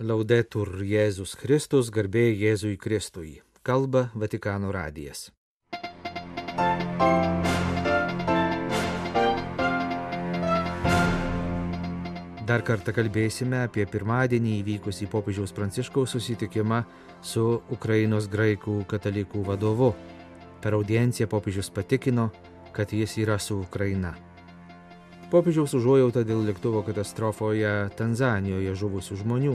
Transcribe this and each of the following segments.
Laudetur Jėzus Kristus, garbė Jėzui Kristui. Kalba Vatikano radijas. Dar kartą kalbėsime apie pirmadienį įvykusį popiežiaus Pranciškaus susitikimą su Ukrainos graikų katalikų vadovu. Per audienciją popiežius patikino, kad jis yra su Ukraina. Popiežiaus užuojauta dėl lėktuvo katastrofoje Tanzanijoje žuvusių žmonių.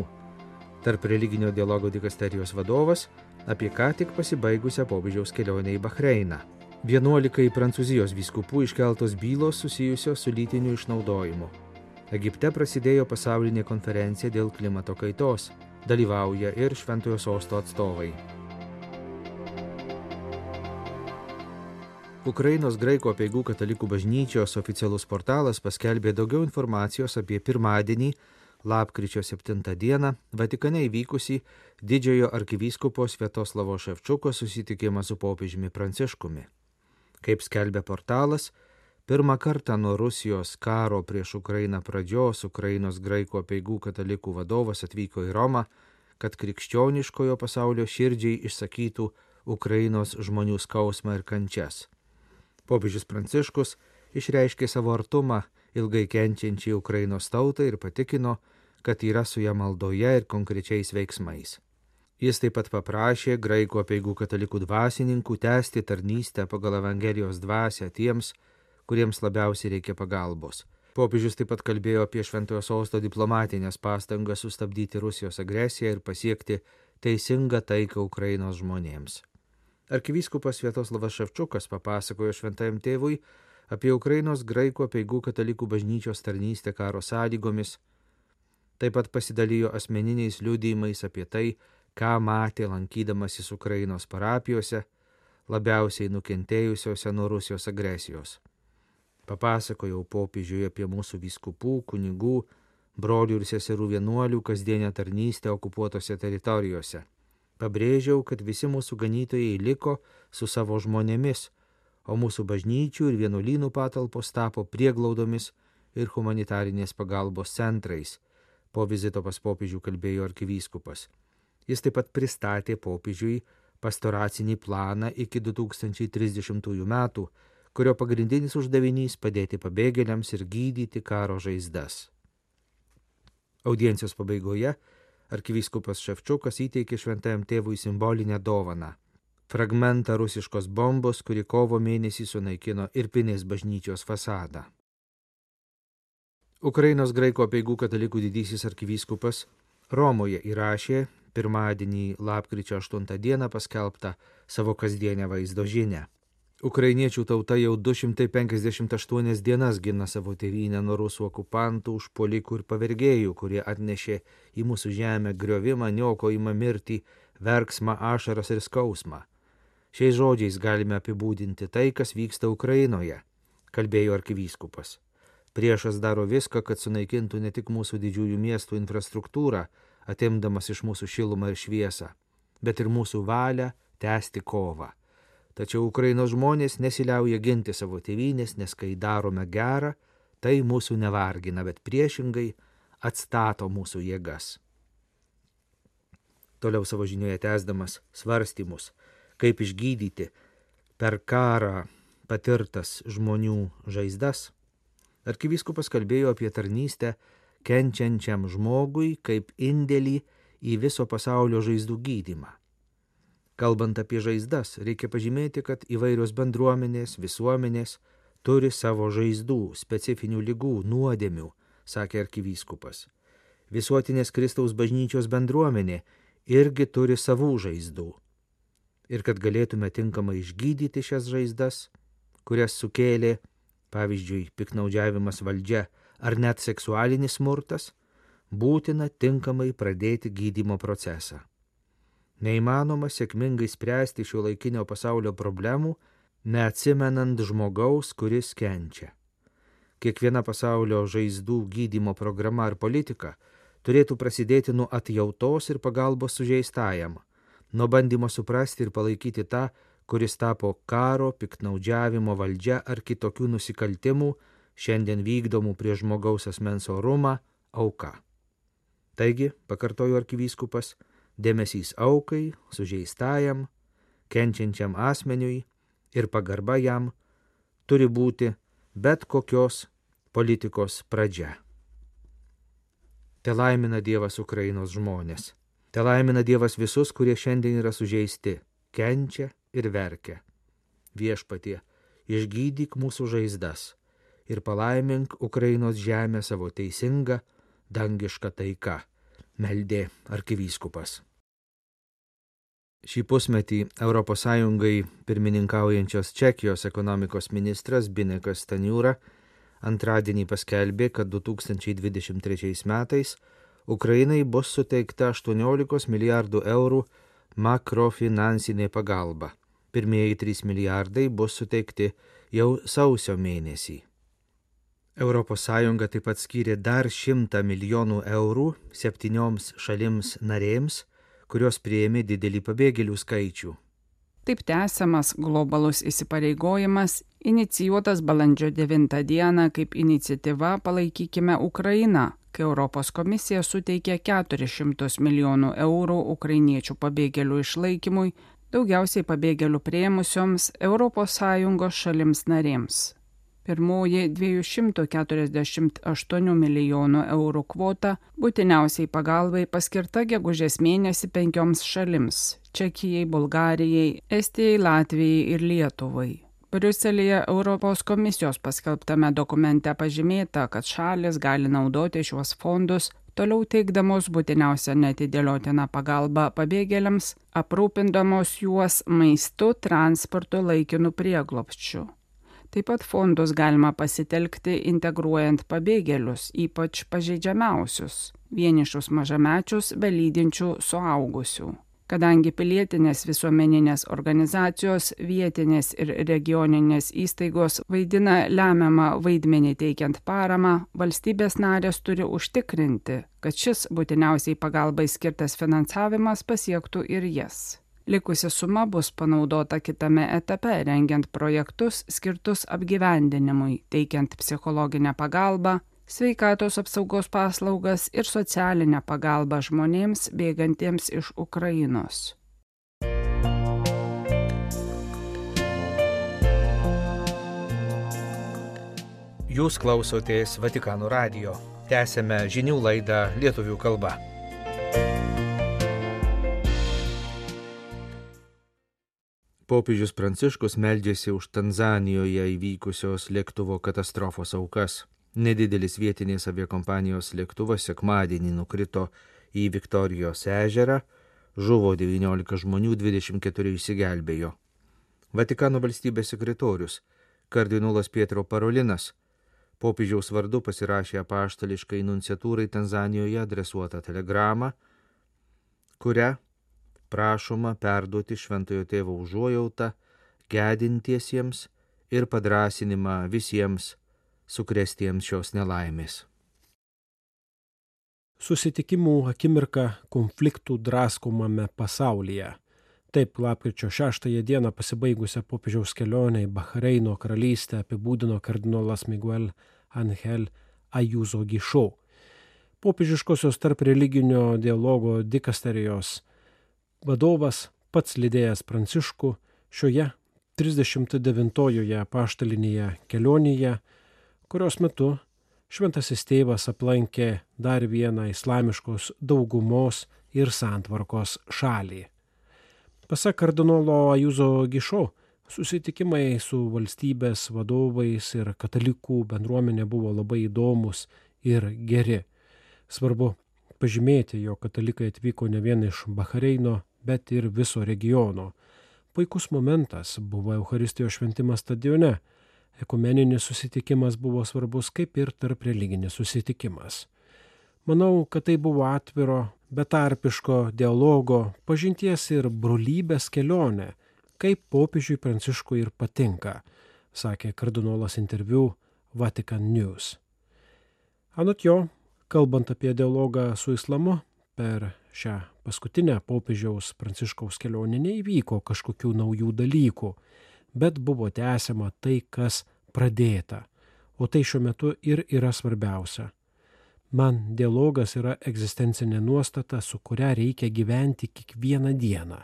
Tarp religinio dialogo dikasterijos vadovas apie ką tik pasibaigusią popiežiaus kelionę į Bahreiną. 11 Prancūzijos vyskupų iškeltos bylos susijusios su lytiniu išnaudojimu. Egipte prasidėjo pasaulinė konferencija dėl klimato kaitos. Dalyvauja ir Šventojo Sosto atstovai. Ukrainos graikų apeigų katalikų bažnyčios oficialus portalas paskelbė daugiau informacijos apie pirmadienį, lapkričio 7 dieną, Vatikane įvykusį didžiojo arkivyskupo Sviatoslavo Ševčiuko susitikimą su popiežiumi Pranciškumi. Kaip skelbia portalas, pirmą kartą nuo Rusijos karo prieš Ukrainą pradžios Ukrainos graikų apeigų katalikų vadovas atvyko į Romą, kad krikščioniškojo pasaulio širdžiai išsakytų Ukrainos žmonių skausmą ir kančias. Popiežius Pranciškus išreiškė savo artumą ilgai kenčiančiai Ukrainos tautai ir patikino, kad yra su ja maldoje ir konkrečiais veiksmais. Jis taip pat paprašė graikų apeigų katalikų dvasininkų tęsti tarnystę pagal Evangelijos dvasią tiems, kuriems labiausiai reikia pagalbos. Popiežius taip pat kalbėjo apie Šventojo Sosto diplomatinės pastangas sustabdyti Rusijos agresiją ir pasiekti teisingą taiką Ukrainos žmonėms. Arkivyskupas Sviatoslavas Ševčiukas papasakojo šventajam tėvui apie Ukrainos graikų apeigų katalikų bažnyčios tarnystę karo sąlygomis. Taip pat pasidalijo asmeniniais liudijimais apie tai, ką matė lankydamasis Ukrainos parapijose, labiausiai nukentėjusiose nuo Rusijos agresijos. Papasakojau popiežiui apie mūsų vyskupų, kunigų, brolių ir seserų vienuolių kasdienę tarnystę okupuotose teritorijose. Pabrėžiau, kad visi mūsų ganytojai liko su savo žmonėmis, o mūsų bažnyčių ir vienuolynų patalpos tapo prieglaudomis ir humanitarinės pagalbos centrais. Po vizito pas popiežių kalbėjo arkivyskupas. Jis taip pat pristatė popiežiui pastoracinį planą iki 2030 metų, kurio pagrindinis uždavinys padėti pabėgėliams ir gydyti karo žaizdas. Audiencijos pabaigoje arkivyskupas Ševčiukas įteikė šventajam tėvui simbolinę dovaną – fragmentą rusiškos bombos, kuri kovo mėnesį sunaikino Irpinės bažnyčios fasadą. Ukrainos graikų apeigų katalikų didysis arkivyskupas Romoje įrašė pirmadienį lapkričio 8 dieną paskelbtą savo kasdienę vaizdo žinią. Ukrainiečių tauta jau 258 dienas gina savo tėvynę nuo rusų okupantų, užpuolikų ir pavergėjų, kurie atnešė į mūsų žemę griovimą, niokojimą, mirtį, verksmą, ašaras ir skausmą. Šiais žodžiais galime apibūdinti tai, kas vyksta Ukrainoje, kalbėjo arkivyskupas. Priešas daro viską, kad sunaikintų ne tik mūsų didžiųjų miestų infrastruktūrą, atimdamas iš mūsų šilumą ir šviesą, bet ir mūsų valią tęsti kovą. Tačiau Ukrainos žmonės nesiliauja ginti savo tėvynės, nes kai darome gerą, tai mūsų nevargina, bet priešingai atstato mūsų jėgas. Toliau savo žinioje tęsdamas svarstymus, kaip išgydyti per karą patirtas žmonių žaizdas, arkivyskupas kalbėjo apie tarnystę kenčiančiam žmogui kaip indėlį į viso pasaulio žaizdų gydymą. Kalbant apie žaizdas, reikia pažymėti, kad įvairios bendruomenės, visuomenės turi savo žaizdų, specifinių ligų, nuodėmių, sakė arkivyskupas. Visuotinės Kristaus bažnyčios bendruomenė irgi turi savų žaizdų. Ir kad galėtume tinkamai išgydyti šias žaizdas, kurias sukėlė, pavyzdžiui, piknaudžiavimas valdžia ar net seksualinis smurtas, būtina tinkamai pradėti gydymo procesą. Neįmanoma sėkmingai spręsti šio laikinio pasaulio problemų, neatsimenant žmogaus, kuris kenčia. Kiekviena pasaulio žaizdų gydymo programa ar politika turėtų prasidėti nuo atjautos ir pagalbos sužeistajam, nuo bandymo suprasti ir palaikyti tą, kuris tapo karo, piktnaudžiavimo valdžia ar kitokių nusikaltimų, šiandien vykdomų prieš žmogaus asmens orumą, auka. Taigi, pakartojo arkivyskupas, dėmesys aukai, sužeistajam, kenčiančiam asmeniui ir pagarba jam turi būti bet kokios politikos pradžia. Te laimina Dievas Ukrainos žmonės. Te laimina Dievas visus, kurie šiandien yra sužeisti, kenčia ir verkia. Viešpatie, išgydyk mūsų žaizdas ir palaimink Ukrainos žemę savo teisingą, dangišką taiką, meldė arkivyskupas. Šį pusmetį ES pirmininkaujančios Čekijos ekonomikos ministras Zbinekas Staniūra antradienį paskelbė, kad 2023 metais Ukrainai bus suteikta 18 milijardų eurų makrofinansinė pagalba. Pirmieji 3 milijardai bus suteikti jau sausio mėnesį. ES taip pat skyrė dar 100 milijonų eurų 7 šalims narėms, kurios priėmė didelį pabėgėlių skaičių. Taip tęsiamas globalus įsipareigojimas, inicijuotas balandžio 9 dieną kaip iniciatyva Palaikykime Ukrainą, kai Europos komisija suteikė 400 milijonų eurų ukrainiečių pabėgėlių išlaikymui, daugiausiai pabėgėlių priėmusioms ES šalims narėms. Pirmoji 248 milijonų eurų kvota būtiniausiai pagalbai paskirta gegužės mėnesį 5 šalims – Čekijai, Bulgarijai, Estijai, Latvijai ir Lietuvai. Briuselyje Europos komisijos paskelbtame dokumente pažymėta, kad šalis gali naudoti šiuos fondus, toliau teikdamos būtiniausią neatidėliotiną pagalbą pabėgėliams, aprūpindamos juos maistu, transportu, laikinu prieglobsčiu. Taip pat fondus galima pasitelkti integruojant pabėgėlius, ypač pažeidžiamiausius, vienišus mažamečius be lydinčių suaugusių. Kadangi pilietinės visuomeninės organizacijos, vietinės ir regioninės įstaigos vaidina lemiamą vaidmenį teikiant paramą, valstybės narės turi užtikrinti, kad šis būtiniausiai pagalbai skirtas finansavimas pasiektų ir jas. Likusi suma bus panaudota kitame etape, rengiant projektus skirtus apgyvendinimui, teikiant psichologinę pagalbą, sveikatos apsaugos paslaugas ir socialinę pagalbą žmonėms bėgantiems iš Ukrainos. Jūs klausotės Vatikano radijo. Tęsiame žinių laidą lietuvių kalba. Popiežius Pranciškus meldžiasi už Tanzanijoje įvykusios lėktuvo katastrofos aukas. Nedidelis vietinės aviakompanijos lėktuvas sekmadienį nukrito į Viktorijos ežerą, žuvo 19 žmonių, 24 išsigelbėjo. Vatikano valstybės sekretorius, kardinolas Pietro Parolinas, popiežiaus vardu pasirašė apaštališkai nunciatūrai Tanzanijoje adresuotą telegramą, kuria prašoma perduoti šventojo tėvo užuojautą gedintiesiems ir padrąsinimą visiems sukrėstiems šios nelaimės. Susitikimų akimirka konfliktų draskomame pasaulyje. Taip lapkričio 6 dieną pasibaigusią popiežiaus kelionę į Bahreino karalystę apibūdino kardinolas Miguel Ángel Ayuso Guichó. Popiežiškosios tarp religinio dialogo dikasterijos vadovas pats lydėjęs Pranciškų šioje 39-ojoje apaštalinėje kelionėje, kurios metu šventasis tėvas aplankė dar vieną islamiškos daugumos ir santvarkos šalį. Pasak kardinolo Ayuso Guichó, susitikimai su valstybės vadovais ir katalikų bendruomenė buvo labai įdomus ir geri. Svarbu pažymėti, jog katalikai atvyko ne vien iš Bahreino, bet ir viso regiono. Puikus momentas buvo Eucharistijos šventimas stadione. Ekumeninis susitikimas buvo svarbus kaip ir tarp religinis susitikimas. Manau, kad tai buvo atviro, betarpiško dialogo, pažinties ir brolybės kelionė, kaip popiežiui Pranciškui ir patinka, sakė kardinolas interviu Vatican News. Anot jo, kalbant apie dialogą su islamu, per šią paskutinę popiežiaus Pranciškaus kelionę neįvyko kažkokių naujų dalykų, bet buvo tęsiama tai, kas pradėta, o tai šiuo metu ir yra svarbiausia. Man dialogas yra egzistencinė nuostata, su kuria reikia gyventi kiekvieną dieną,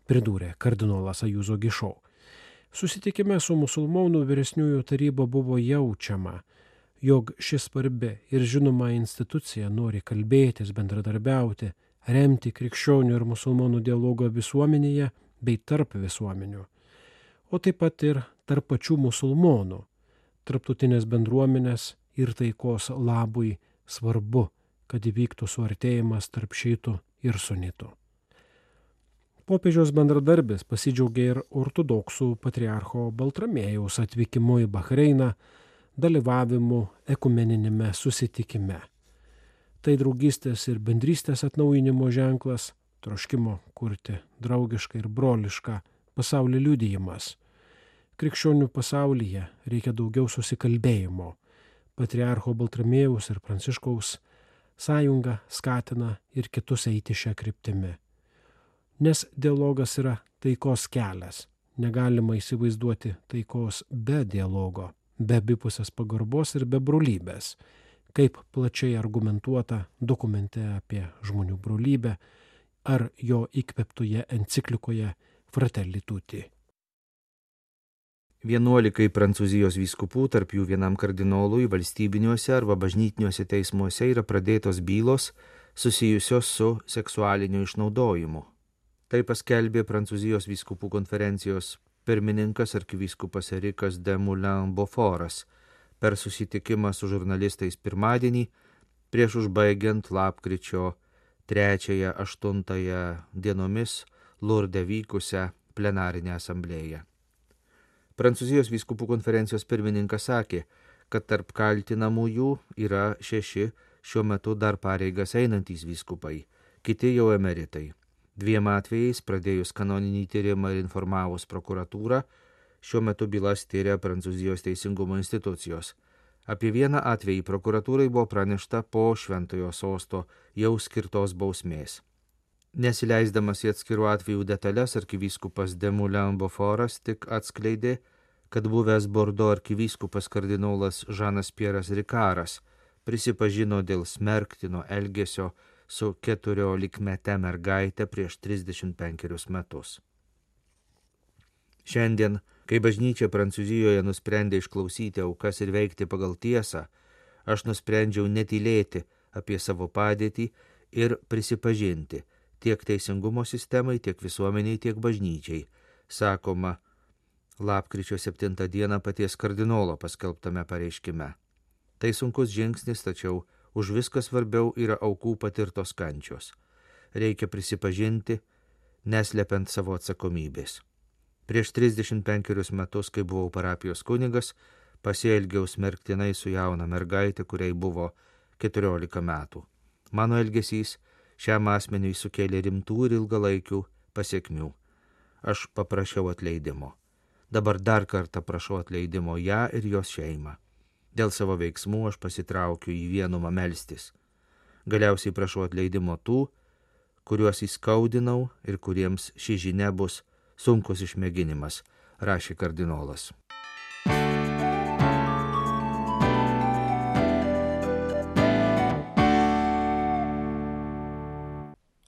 pridūrė kardinolas Ajuzo Gišo. Susitikime su musulmonų vyresniųjų taryba buvo jaučiama, jog ši svarbi ir žinoma institucija nori kalbėtis, bendradarbiauti, remti krikščionių ir musulmonų dialogą visuomenėje bei tarp visuomenių, o taip pat ir tarp pačių musulmonų, tarptautinės bendruomenės ir taikos labui svarbu, kad įvyktų suartėjimas tarp šiitų ir sunitų. Popiežiaus bendradarbis pasidžiaugė ir ortodoksų patriarcho Baltramiejaus atvykimu į Bahreiną, dalyvavimu ekumeninėme susitikime. Tai draugystės ir bendrystės atnaujinimo ženklas, troškimo kurti draugišką ir brolišką pasaulį liudijimas. Krikščionių pasaulyje reikia daugiau susikalbėjimo. Patriarcho Baltramiejaus ir Pranciškaus sąjunga skatina ir kitus eiti šią kryptimį. Nes dialogas yra taikos kelias. Negalima įsivaizduoti taikos be dialogo, be abipusės pagarbos ir be brolybės, kaip plačiai argumentuota dokumente apie žmonių brolybę ar jo įkvėptoje enciklikoje Fratelli Tutti. 11 Prancūzijos vyskupų, tarp jų vienam kardinolui, valstybiniuose arba bažnytiniuose teismuose yra pradėtos bylos susijusios su seksualiniu išnaudojimu. Tai paskelbė Prancūzijos vyskupų konferencijos pirmininkas arkivyskupas Erikas de Moulin-Beaufortas per susitikimą su žurnalistais pirmadienį prieš užbaigiant lapkričio 3-8 dienomis Lurde vykusią plenarinę asamblėją. Prancūzijos vyskupų konferencijos pirmininkas sakė, kad tarp kaltinamųjų yra 6 šiuo metu dar pareigas einantys vyskupai, kiti jau emeritai. 2 atvejais pradėjus kanoninį tyrimą ir informavus prokuratūrą, šiuo metu bylas tyria Prancūzijos teisingumo institucijos. Apie 1 atvejį prokuratūrai buvo pranešta po Šventojo sosto jau skirtos bausmės. Nesileisdamas į atskirų atvejų detalės, arkivyskupas de Moulin-Beaufortas tik atskleidė, kad buvęs Bordo arkivyskupas kardinolas Žanas Pieras Rikaras prisipažino dėl smerktino elgesio su 14-mete mergaite prieš 35 metus. Šiandien, kai bažnyčia Prancūzijoje nusprendė išklausyti aukas ir veikti pagal tiesą, aš nusprendžiau netylėti apie savo padėtį ir prisipažinti tiek teisingumo sistemai, tiek visuomeniai, tiek bažnyčiai, sakoma lapkričio 7 dieną paties kardinolo paskelbtame pareiškime. Tai sunkus žingsnis, tačiau už viską svarbiau yra aukų patirtos kančios. Reikia prisipažinti, neslepiant savo atsakomybės. Prieš 35 metus, kai buvau parapijos kunigas, pasielgiau smerktinai su jauna mergaitė, kuriai buvo 14 metų. Mano elgesys šiam asmeniui sukėlė rimtų ir ilgalaikių pasekmių. Aš paprašiau atleidimo. Dabar dar kartą prašau atleidimo ją ir jos šeimą. Dėl savo veiksmų aš pasitraukiu į vienumą melstis. Galiausiai prašau atleidimo tų, kuriuos įskaudinau ir kuriems ši žinia bus sunkus išmėginimas, rašė kardinolas.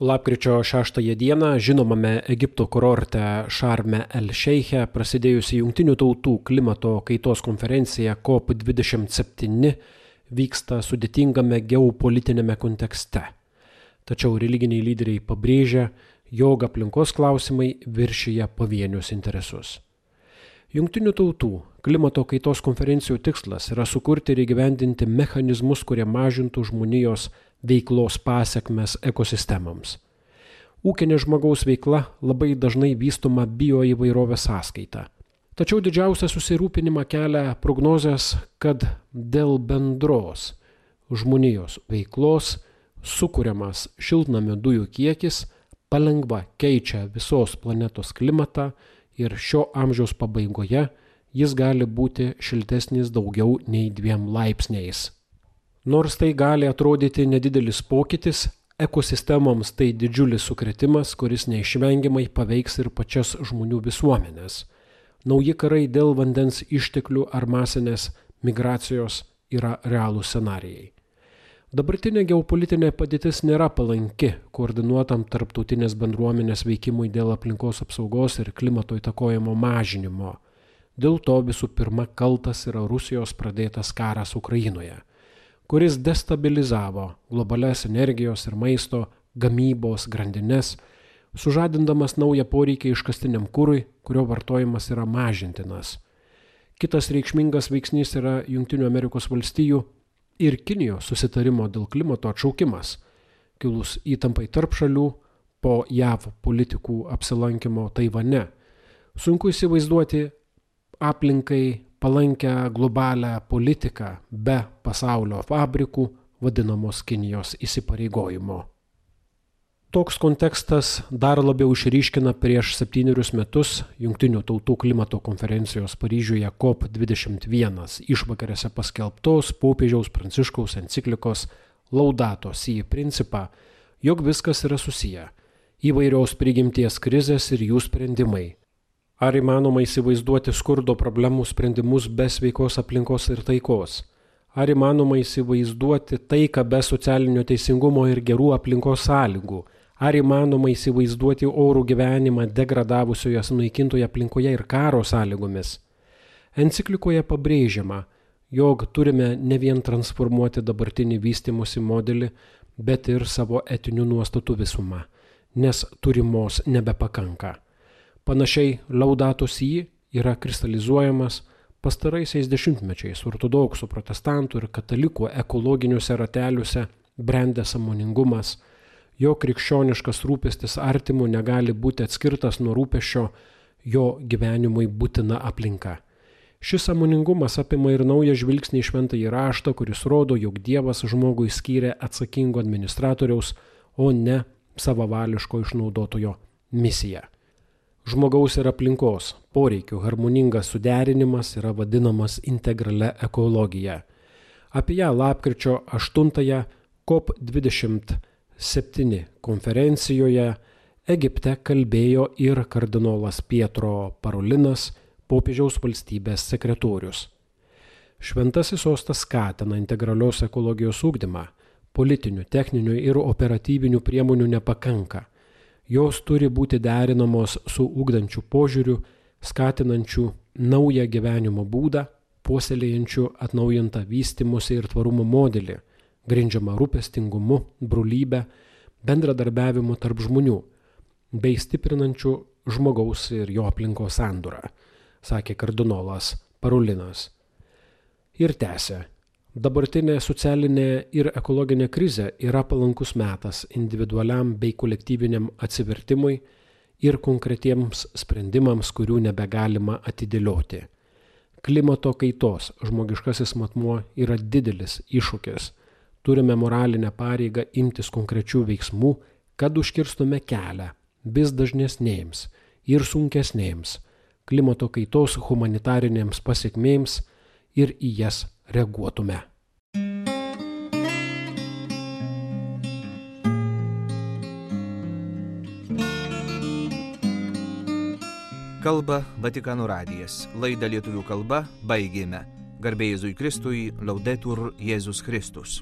Lapkričio 6 dieną žinomame Egipto kurorte Šarme el Šeiche prasidėjusi Jungtinių tautų klimato kaitos konferencija COP27 vyksta sudėtingame geopolitinėme kontekste. Tačiau religiniai lyderiai pabrėžia, jog aplinkos klausimai viršija pavienius interesus. Jungtinių tautų klimato kaitos konferencijų tikslas yra sukurti ir įgyvendinti mechanizmus, kurie mažintų žmonijos veiklos pasekmes ekosistemams. Ūkinė žmogaus veikla labai dažnai vystoma bioįvairovės sąskaita. Tačiau didžiausią susirūpinimą kelia prognozės, kad dėl bendros žmonijos veiklos sukuriamas šiltnamio dujų kiekis palengva keičia visos planetos klimatą ir šio amžiaus pabaigoje jis gali būti šiltesnis daugiau nei 2 laipsniais. Nors tai gali atrodyti nedidelis pokytis, ekosistemoms tai didžiulis sukrėtimas, kuris neišvengiamai paveiks ir pačias žmonių visuomenės. Nauji karai dėl vandens išteklių ar masinės migracijos yra realūs scenarijai. Dabartinė geopolitinė padėtis nėra palanki koordinuotam tarptautinės bendruomenės veikimui dėl aplinkos apsaugos ir klimato įtakojimo mažinimo. Dėl to visų pirma kaltas yra Rusijos pradėtas karas Ukrainoje, kuris destabilizavo globalias energijos ir maisto gamybos grandines, sužadindamas naują poreikį iškastiniam kurui, kurio vartojimas yra mažintinas. Kitas reikšmingas veiksnys yra Jungtinių Amerikos valstijų ir Kinijos susitarimo dėl klimato atšaukimas, kilus įtampai tarp šalių po JAV politikų apsilankimo Taivane. Sunku įsivaizduoti aplinkai palankę globalią politiką be pasaulio fabrikų vadinamos Kinijos įsipareigojimo. Toks kontekstas dar labiau išryškina prieš 7 metus Jungtinių tautų klimato konferencijos Paryžiuje COP21 išvakarėse paskelbtos popiežiaus Pranciškaus enciklikos Laudato Si principą, jog viskas yra susiję – įvairios prigimties krizės ir jų sprendimai. Ar įmanoma įsivaizduoti skurdo problemų sprendimus be sveikos aplinkos ir taikos? Ar įmanoma įsivaizduoti taiką be socialinio teisingumo ir gerų aplinkos sąlygų? Ar įmanoma įsivaizduoti orų gyvenimą degradavusioje sunaikintoje aplinkoje ir karo sąlygomis? Enciklikoje pabrėžiama, jog turime ne vien transformuoti dabartinį vystymosi modelį, bet ir savo etinių nuostatų visumą, nes turimos nebepakanka. Panašiai Laudato Si yra kristalizuojamas pastaraisiais dešimtmečiais ortodoksų, protestantų ir katalikų ekologiniuose rateliuose brendęs sąmoningumas, jo krikščioniškas rūpestis artimu negali būti atskirtas nuo rūpesčio jo gyvenimui būtina aplinka. Šis sąmoningumas apima ir naują žvilgsnį į šventąjį raštą, kuris rodo, jog Dievas žmogui skyrė atsakingo administratoriaus, o ne savavališko išnaudotojo misiją. Žmogaus ir aplinkos poreikių harmoningas suderinimas yra vadinamas integralia ekologija. Apie ją lapkričio 8 COP27 konferencijoje Egipte kalbėjo ir kardinolas Pietro Parolinas, popiežiaus valstybės sekretorius. Šventasis sostas skatina integralios ekologijos ugdymą, politinių, techninių ir operatyvinių priemonių nepakanka. Jos turi būti derinamos su ugdančiu požiūriu, skatinančiu naują gyvenimo būdą, puoselėjančiu atnaujintą vystymosi ir tvarumo modelį, grindžiama rūpestingumu, brolybę, bendradarbiavimu tarp žmonių, bei stiprinančių žmogaus ir jo aplinkos sandūrą, sakė kardinolas Parolinas. Ir tęsė, dabartinė socialinė ir ekologinė krizė yra palankus metas individualiam bei kolektyviniam atsivertimui ir konkretiems sprendimams, kurių nebegalima atidėlioti. Klimato kaitos žmogiškasis matmuo yra didelis iššūkis. Turime moralinę pareigą imtis konkrečių veiksmų, kad užkirstume kelią vis dažnesnėms ir sunkesnėms klimato kaitos humanitarinėms pasekmėms ir į jas reaguotume. Kalba Vatikano radijas. Laidą lietuvių kalba baigėme. Garbė Jėzui Kristui, Laudetur Jėzus Kristus.